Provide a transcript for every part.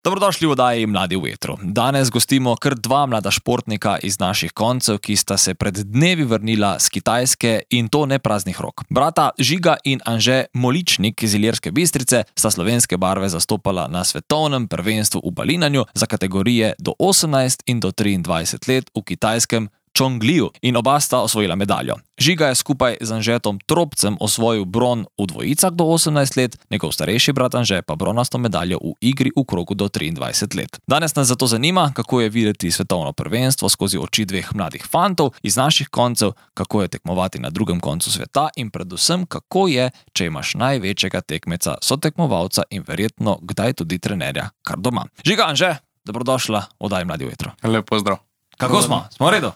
Dobrodošli v oddaji Mladi v vetru. Danes gostimo kar dva mlada športnika iz naših koncev, ki sta se pred dnevi vrnila z Kitajske in to ne praznih rok. Brata Žiga in Anže Moličnik iz Ilirske Bistrice sta slovenske barve zastopala na svetovnem prvenstvu v balinanju za kategorije do 18 in do 23 let v kitajskem Čongliju in oba sta osvojila medaljo. Žiga je skupaj z Anžetom Tropcem osvojil bron v dvojicah do 18 let, njegov starejši brat Anže pa bronasto medaljo v igri v krogu do 23 let. Danes nas zato zanima, kako je videti svetovno prvenstvo skozi oči dveh mladih fantov iz naših koncev, kako je tekmovati na drugem koncu sveta in predvsem, kako je, če imaš največjega tekmeca, sotekmovalca in verjetno kdaj tudi trenerja kar doma. Žiga, Anže, dobrodošla v oddaji Mladi v vetru. Lep pozdrav. Kako smo? Smo v redu?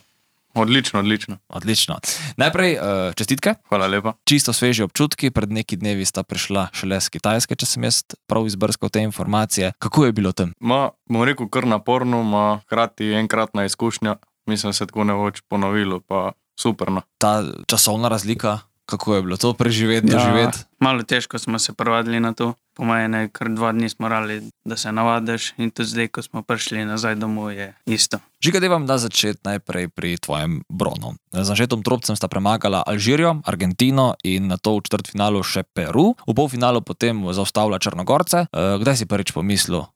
Odlično. Odlično. Najprej čestitke. Hvala lepa. Čisto sveži občutki, pred neki dnevi sta prišla šele z Kitajske, če sem jaz prav izbrskal te informacije. Kako je bilo tam? Bom rekel kar naporno, hkrati enkratna izkušnja. Mislim, se tako ne bo več ponovilo, pa superno. Ta časovna razlika, kako je bilo to preživeti, doživeti? Malo težko smo se privadili na to. Po mojem, kar 2 dni smo morali, da se navadiš in tudi zdaj, ko smo prišli nazaj domov, je isto. Žiga, da vam da začeti najprej pri tvojem bronu. Z Anžetom Tropcem sta premagala Alžirijo, Argentino in nato v četrtfinalu še Peru. V polfinalu potem zaustavila Črnogorce. Kdaj si prvič pomislil,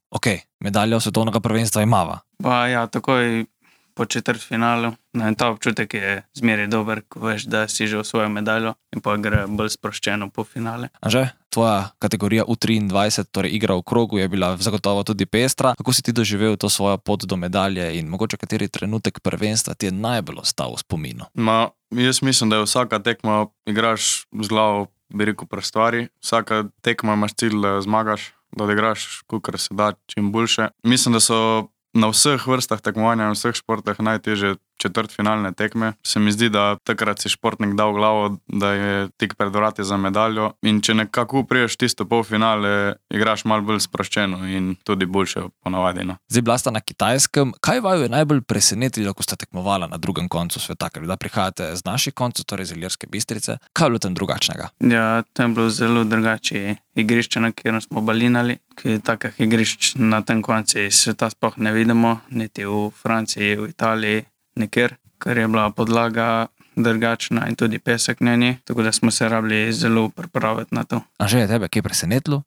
medaljo svetovnega prvenstva imava? Takoj po četrtfinalu. Ta občutek je zmeraj dober, ko veš, da si že osvojil medaljo in pa gre bolj sproščeno po finale. Anže, tvoja kategorija U23, torej igra v krogu, je bila zagotovo tudi pestra. Kako si ti doživel to svojo pot do medalje in mogoče kateri trenutek prvenstva ti je najbolj ostal v spominu? Jaz mislim, da je vsaka tekma, igraš z glavo, bi rekel, pri stvari. Vsaka tekma imaš cilj, da zmagaš, da odigraš, kolikor se da, čim boljše. Mislim, da so na vseh vrstah tekmovanja, na vseh športih najtežje četrtfinalne tekme. Se mi zdi, da takrat si športnik dal glavo, da je tik pred vrati za medaljo in če nekako priješ tisto polfinale, igraš malo bolj sproščeno in tudi boljše ponavadi. Zdaj bila sta na Kitajskem. Kaj vaju je najbolj presenetilo, ko sta tekmovala na drugem koncu sveta? Ker da prihajate z naših koncev, torej iz Ilirske Bistrice. Kaj je bilo tam drugačnega? Tam je bilo zelo drugače igrišče, na katerem smo balinali, ki takih igrišč na tem koncu sveta sploh ne vidimo, niti v Franciji, v Italiji, nikjer, ker je bila podlaga drugačna in tudi pesek na njej, tako da smo se rabili zelo pripraviti na to. Anže, je tebe kaj presenetilo?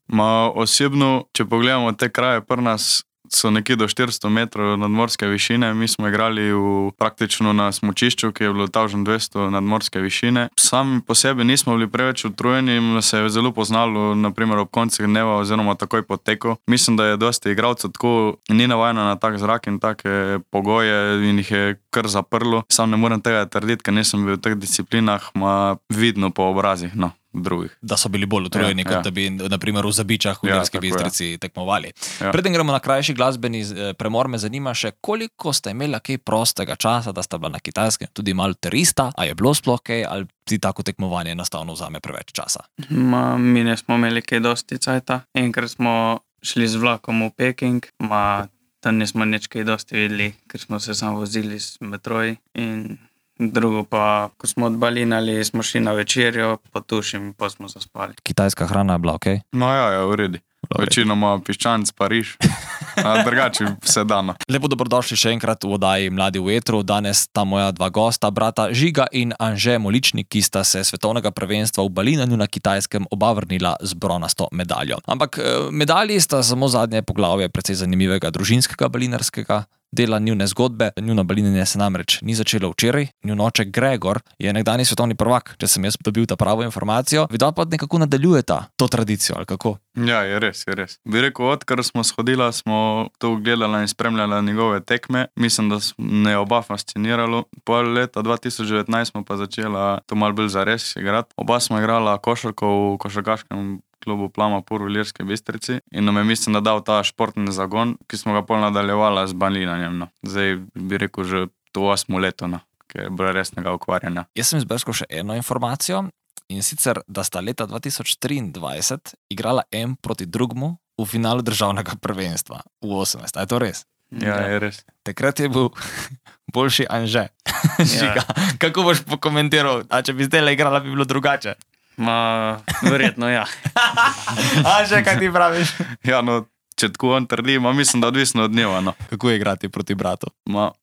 Osebno, če pogledamo te kraje, pri nas so nekje do 400 metrov nadmorske višine. Mi smo igrali praktično na smučišču, ki je bilo 1200 nadmorske višine. Sami po sebi nismo bili preveč utrujeni in se je zelo poznalo, naprimer ob koncih dneva oziroma takoj po teku. Mislim, da je dosti igralcev tako ni navajeno na tak zrak in take pogoje in jih je kar zaprlo. Sam ne morem tega trditi, ker nisem bil v teh disciplinah, vidno po obrazih, drugih. Da so bili bolj utrujeni, kot da bi naprimer v Zabičah v Ilirski Bistrici tekmovali. Preden gremo na krajši glasbeni premor, me zanima še, koliko ste imela kaj prostega časa, da sta bila na Kitajskem, tudi malo terista, a je bilo sploh kaj, ali ti tako tekmovanje enostavno vzame preveč časa? Mi ne smo imeli kaj dosti cajta. Enkrat smo šli z vlakom v Peking, tam nismo nič kaj dosti videli, ker smo se samo vozili s metroji in drugo pa, ko smo odbalinali, smo šli na večerjo, pa tušim, pa smo zaspali. Kitajska hrana je bila okej? V redu. Večinoma piščanc, Pariž, drugače vse dano. Lepo dobrodošli še enkrat v oddaji Mladi v vetru. Danes sta moja dva gosta, brata Žiga in Anže Moličnik, ki sta se svetovnega prvenstva v balinanju na Kitajskem oba vrnila z bronasto medaljo. Ampak medalji sta samo zadnje poglavje precej zanimivega družinskega balinarskega dela njune zgodbe. Njuno balinanje se namreč ni začelo včeraj. Njun oče Gregor je nekdanji svetovni prvak, če sem jaz dobil ta pravo informacijo. Vidva pa nekako nadaljujeta to tradicijo, ali kako? Ja, je res. Bi rekel, odkar smo shodila, smo to gledala in spremljala njegove tekme. Mislim, da me je oba fasciniralo. Pol leta 2019 smo pa začela to malo bolj zares igrati. Oba smo igrala košarko v košarkaškem klubu Plama Pur v Ilirski Bistrici in nam je, mislim, da dal ta športni zagon, ki smo ga pol nadaljevala z balinanjem. Zdaj bi rekel že to 8. leto, ki je bilo resnega ukvarjanja. Jaz sem izbrskal še eno informacijo in sicer, da sta leta 2023 igrala en proti drugmu v finalu državnega prvenstva v 18. A je to res? Ja, je res. Takrat je bil boljši Anže. Žiga, kako boš pokomentiral? A če bi zdaj igrala, bi bilo drugače? Verjetno, ja. Anže, kaj ti praviš? Ja, če tako on trdi, mislim, da odvisno od dneva. No. Kako je igrati proti bratu?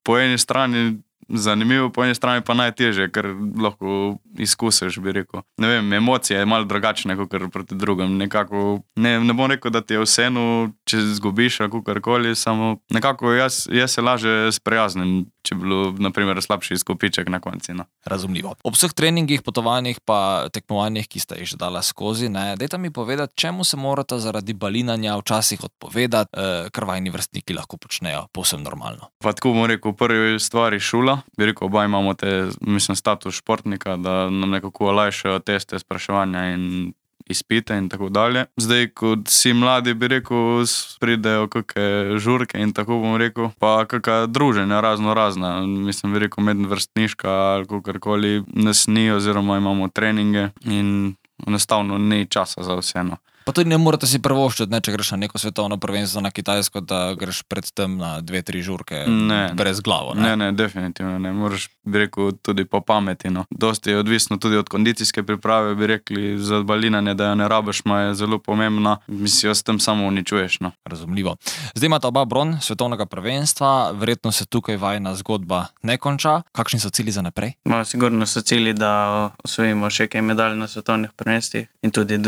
Po eni strani zanimivo, po eni strani pa najtežje, ker lahko izkusiš, bi rekel. Ne vem, emocije je malo drugačne kot proti drugim. Nekako, ne bom rekel, da ti je vseeno, če zgubiš ali kakorkoli, samo nekako jaz se lažje sprijaznim, če bi bilo, na primer, slabši izkupiček na konci. No. Razumljivo. Ob vseh treningih, potovanjih pa tekmovanjih, ki sta jih že dala skozi, dajte mi povedati, čemu se morata zaradi balinanja včasih odpovedati, kar vajni vrstniki lahko počnejo povsem normalno. Pa tako bom rekel, prvi stvari šula. Bi rekel, oba imamo status športnika, da nam nekako olajšajo teste, spraševanja in izpite in tako dalje. Zdaj, kot si mladi, bi rekel, pridejo kakšne žurke in tako bom rekel, pa kakšna druženja razna. Mislim, bi rekel, medvrstniška ali kakorkoli nas ni, oziroma imamo treninge in enostavno ni časa za vse. Pa tudi ne morate si prvoščiti, če greš na neko svetovno prvenstvo na Kitajsko, da greš predtem na 2-3 žurke brez glavo. Ne, definitivno ne. Moraš, bi rekel, tudi po pameti. No. Dosti je odvisno tudi od kondicijske priprave, bi rekli, za balinanje, da jo ne rabiš, je zelo pomembna. Mislim, s tem samo uničuješ. No. Razumljivo. Zdaj imata oba bron svetovnega prvenstva, verjetno se tukaj vajna zgodba ne konča. Kakšni so cilji za naprej? Sigurno so cilji, da osvojimo še kaj medalj na svetovnih prvenstvih in tudi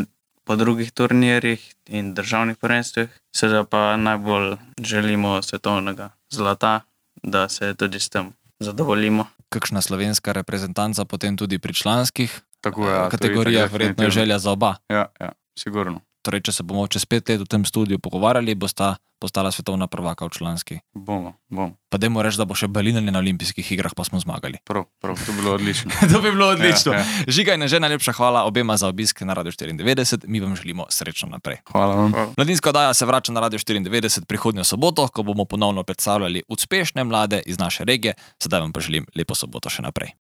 po drugih turnirjih in državnih prvenstvih. Seveda pa najbolj želimo svetovnega zlata, da se tudi s tem zadovoljimo. Kakšna slovenska reprezentanca potem tudi pri članskih kategorijah, verjetno je želja za oba. Ja, sigurno. Torej, če se bomo čez 5 let v tem studiu pogovarjali, bosta postala svetovna prvaka v članski. Bomo. Pa dajmo reči, da bo še balinanje na olimpijskih igrah, pa smo zmagali. Prav, to bi bilo odlično. To bi bilo odlično. Ja. Žiga in Anže, najlepša hvala obema za obisk na Radio 94, mi vam želimo srečno naprej. Hvala vam. Mladinska oddaja se vrača na Radio 94 prihodnjo soboto, ko bomo ponovno predstavljali uspešne mlade iz naše regije. Sedaj vam pa želim lepo soboto še naprej.